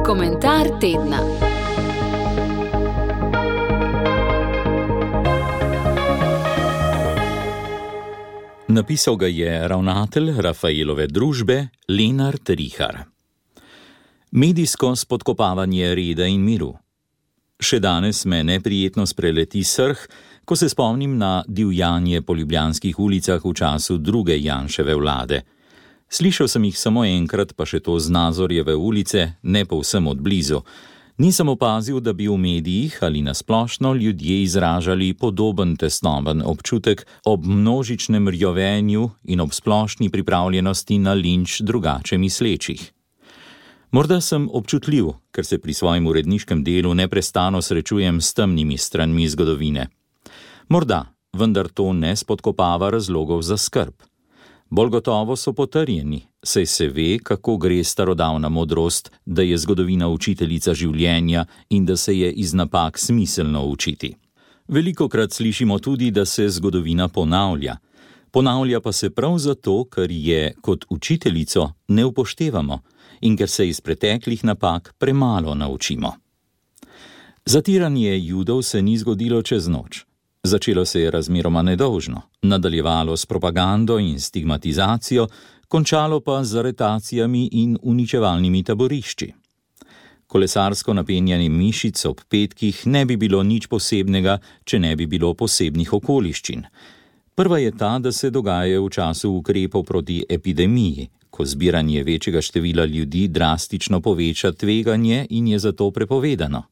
Komentar tedna. Napisal ga je ravnatelj Rafaelove družbe Lenart Rihar. Medijsko spodkopavanje reda in miru. Še danes me neprijetno spreleti srh, ko se spomnim na divjanje po ljubljanskih ulicah v času druge Janševe vlade. Slišal sem jih samo enkrat, pa še to z Nazorjeve ulice, ne povsem od blizu. Nisem opazil, da bi v medijih ali nasplošno ljudje izražali podoben tesnoben občutek ob množičnem rjovenju in ob splošni pripravljenosti na linč drugače mislečih. Morda sem občutljiv, ker se pri svojem uredniškem delu neprestano srečujem s temnimi stranmi zgodovine. Morda, vendar to ne spodkopava razlogov za skrb. Bolj gotovo so potrjeni, saj se ve, kako gre starodavna modrost, da je zgodovina učiteljica življenja in da se je iz napak smiselno učiti. Velikokrat slišimo tudi, da se zgodovina ponavlja. Ponavlja pa se prav zato, ker je kot učiteljico ne upoštevamo in ker se iz preteklih napak premalo naučimo. Zatiranje Judov se ni zgodilo čez noč. Začelo se je razmeroma nedolžno, nadaljevalo s propagando in stigmatizacijo, končalo pa z aretacijami in uničevalnimi taborišči. Kolesarsko napenjanje mišic ob petkih ne bi bilo nič posebnega, če ne bi bilo posebnih okoliščin. Prva je ta, da se dogaja v času ukrepov proti epidemiji, ko zbiranje večjega števila ljudi drastično poveča tveganje in je zato prepovedano.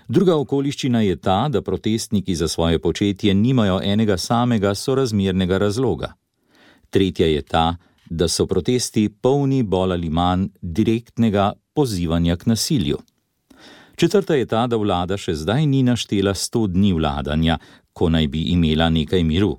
Druga okoliščina je ta, da protestniki za svoje početje nimajo enega samega sorazmernega razloga. Tretja je ta, da so protesti polni bolj ali manj direktnega pozivanja k nasilju. Četrta je ta, da vlada še zdaj ni naštela 100 dni vladanja, ko naj bi imela nekaj miru.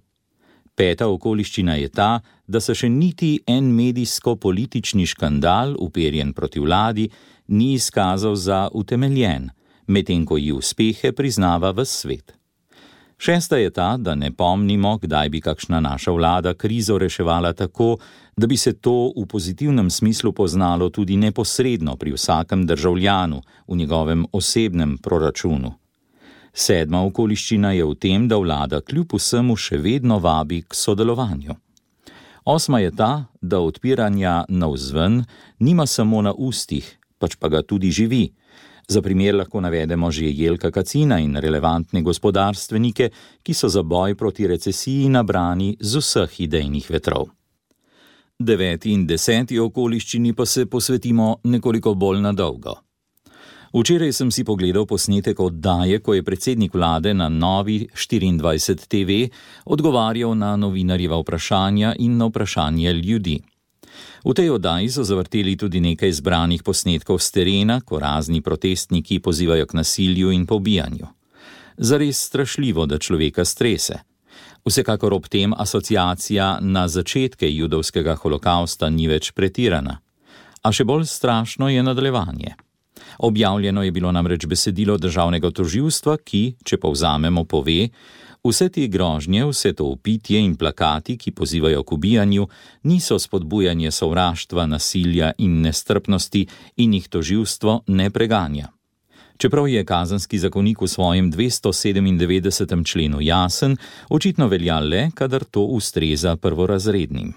Peta okoliščina je ta, da se še niti en medijsko-politični škandal, uperjen proti vladi, ni izkazal za utemeljen, medtem ko ji uspehe priznava ves svet. Šesta je ta, da ne pomnimo, kdaj bi kakšna naša vlada krizo reševala tako, da bi se to v pozitivnem smislu poznalo tudi neposredno pri vsakem državljanu v njegovem osebnem proračunu. Sedma okoliščina je v tem, da vlada kljub vsemu še vedno vabi k sodelovanju. Osma je ta, da odpiranja navzven nima samo na ustih, pač pa ga tudi živi. Za primer lahko navedemo že Jelka Kacina in relevantne gospodarstvenike, ki so za boj proti recesiji nabrani z vseh idejnih vetrov. 9. in 10. okoliščini pa se posvetimo nekoliko bolj na dolgo. Včeraj sem si pogledal posnetek oddaje, ko je predsednik vlade na Novi 24 TV odgovarjal na novinarjeva vprašanja in na vprašanje ljudi. V tej oddaji so zavrteli tudi nekaj zbranih posnetkov s terena, ko razni protestniki pozivajo k nasilju in pobijanju. Zares strašljivo, da človeka strese. Vsekakor ob tem asociacija na začetke judovskega holokausta ni več pretirana. A še bolj strašno je nadaljevanje. Objavljeno je bilo namreč besedilo državnega tožilstva, ki, če povzamemo, pove: vse te grožnje, vse to vpitje in plakati, ki pozivajo k ubijanju, niso spodbujanje sovraštva, nasilja in nestrpnosti in jih tožilstvo ne preganja. Čeprav je kazenski zakonik v svojem 297. členu jasen, očitno velja le, kadar to ustreza prvorazrednim.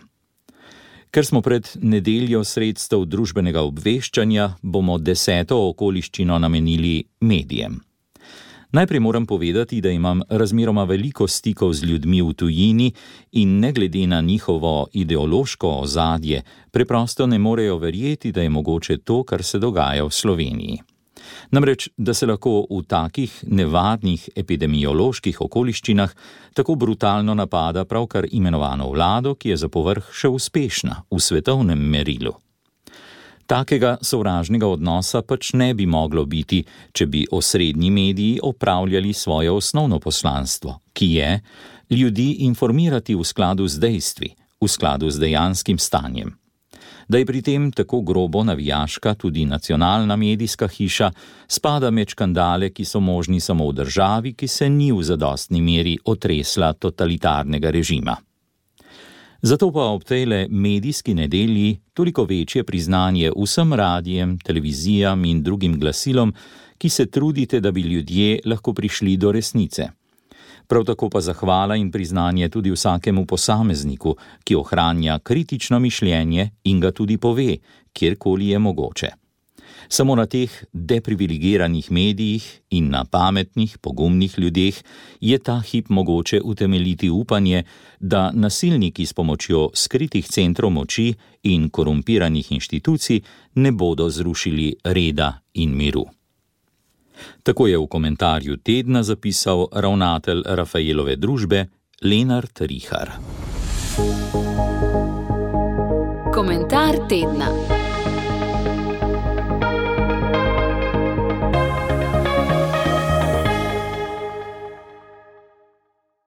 Ker smo pred nedeljo sredstev družbenega obveščanja, bomo 10. okoliščino namenili medijem. Najprej moram povedati, da imam razmeroma veliko stikov z ljudmi v tujini in ne glede na njihovo ideološko ozadje, preprosto ne morejo verjeti, da je mogoče to, kar se dogaja v Sloveniji. Namreč, da se lahko v takih nevarnih epidemioloških okoliščinah tako brutalno napada pravkar imenovano vlado, ki je za povrh še uspešna v svetovnem merilu. Takega sovražnega odnosa pač ne bi moglo biti, če bi osrednji mediji opravljali svoje osnovno poslanstvo, ki je ljudi informirati v skladu z dejstvi, v skladu z dejanskim stanjem. Da je pri tem tako grobo navijaška tudi nacionalna medijska hiša, spada med škandale, ki so možni samo v državi, ki se ni v zadostni meri otresla totalitarnega režima. Zato pa ob tejle medijski nedelji toliko večje priznanje vsem radijem, televizijam in drugim glasilom, ki se trudite, da bi ljudje lahko prišli do resnice. Prav tako pa zahvala in priznanje tudi vsakemu posamezniku, ki ohranja kritično mišljenje in ga tudi pove, kjerkoli je mogoče. Samo na teh deprivilegiranih medijih in na pametnih, pogumnih ljudeh je ta hip mogoče utemeljiti upanje, da nasilniki s pomočjo skritih centrov moči in korumpiranih inštitucij ne bodo zrušili reda in miru. Tako je v komentarju tedna zapisal ravnatelj Rafaelove družbe Lenart Rihar. Komentar tedna.